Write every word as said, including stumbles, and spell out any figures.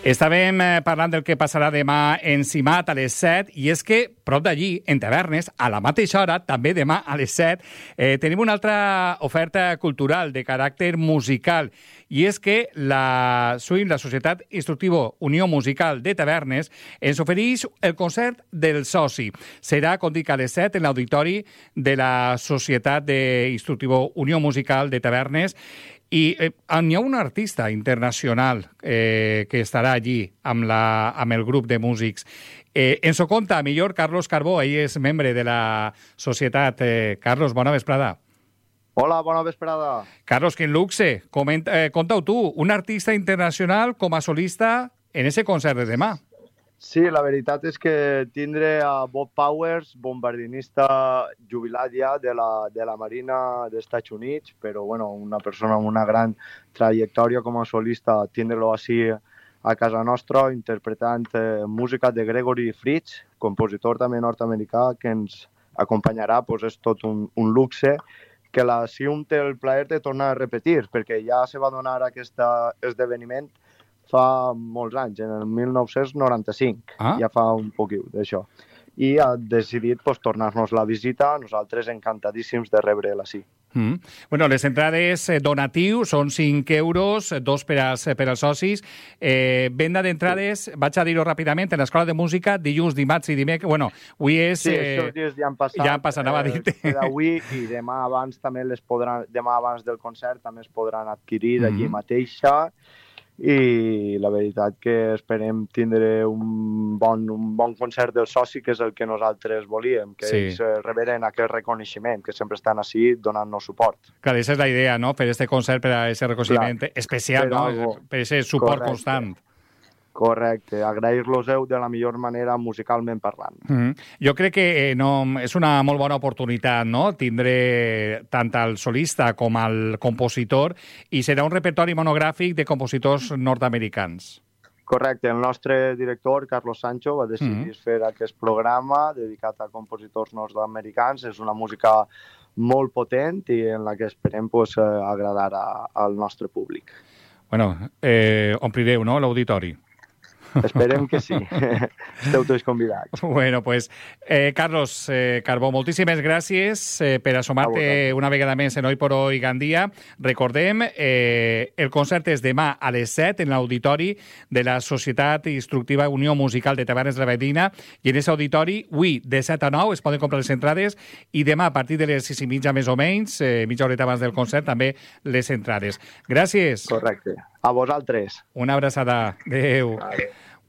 Estàvem eh, parlant del que passarà demà en Simat a les set, i és que prop d'allí, en Tavernes, a la mateixa hora, també demà a les set, eh, tenim una altra oferta cultural de caràcter musical, i és que la S U I M, la Societat Instructiva Unió Musical de Tavernes, ens ofereix el concert del soci. Serà, com dic, a les set en l'auditori de la Societat Instructiva Unió Musical de Tavernes. I eh, hi ha un artista internacional eh, que estarà allí amb, la, amb el grup de músics. Eh, ens ho conta millor Carlos Carbó, ell és membre de la societat. Eh, Carlos, bona vesprada. Hola, bona vesprada. Carlos, quin luxe. Comenta, eh, conta-ho tu, un artista internacional com a solista en ese concert de demà. Sí, la veritat és que tindré a Bob Powers, bombardinista jubilat ja de la, de la Marina dels Estats Units, però bueno, una persona amb una gran trajectòria com a solista, tindre-lo així a casa nostra, interpretant eh, música de Gregory Fritz, compositor també nord-americà, que ens acompanyarà, pues és tot un, un luxe, que la S I U M té el plaer de tornar a repetir, perquè ja se va donar aquest esdeveniment fa molts anys, en el mil nou-cents noranta-cinc, ah? Ja fa un poquiu d'això. I ha decidit pues, tornar-nos la visita, nosaltres encantadíssims de rebre la S I. Mm. Bueno, les entrades eh, donatiu són cinc euros, dos per als, per als socis. Eh, venda d'entrades, sí. Vaig a dir-ho ràpidament, en l'Escola de Música, dilluns, dimarts i dimecres. Bueno, avui és... Sí, eh, aquests dies ja han passat. Ja han passat, anava a dir-te. Eh, avui i demà abans també les podran, demà abans del concert també es podran adquirir mm-hmm. allí mateixa. I la veritat que esperem tindre un bon, un bon concert del soci, que és el que nosaltres volíem, que sí. Ells reberen aquest reconeixement, que sempre estan així donant-nos suport. Clar, aquesta és la idea, no?, fer aquest concert per a aquest reconeixement Clar. especial, per no?, algo... per aquest suport Correcte. constant. Correcte, agrair-los-heu de la millor manera musicalment parlant. Mm-hmm. Jo crec que eh, no, és una molt bona oportunitat, no?, tindre tant el solista com el compositor, i serà un repertori monogràfic de compositors nord-americans. Correcte, el nostre director, Carlos Sancho, va decidir mm-hmm. fer aquest programa dedicat a compositors nord-americans. És una música molt potent i en la que esperem pues, agradar a, al nostre públic. Bueno, eh, omplireu, no?, l'auditori. Esperem que sí. Esteu tots convidats. Bueno, pues, eh, Carlos eh, Carbó, moltíssimes gràcies eh, per assomar-te una vegada més en Hoy por Hoy Gandia. Recordem, eh, el concert és demà a les set en l'auditori de la Societat Instructiva Unió Musical de Tavernes de la Valldigna, i en aquest auditori, avui, de set a nou, es poden comprar les entrades, i demà, a partir de les sis i mitja més o menys, eh, mitja horeta abans del concert, també les entrades. Gràcies. Correcte. A vosaltres. Una abraçada. Adéu. Adéu.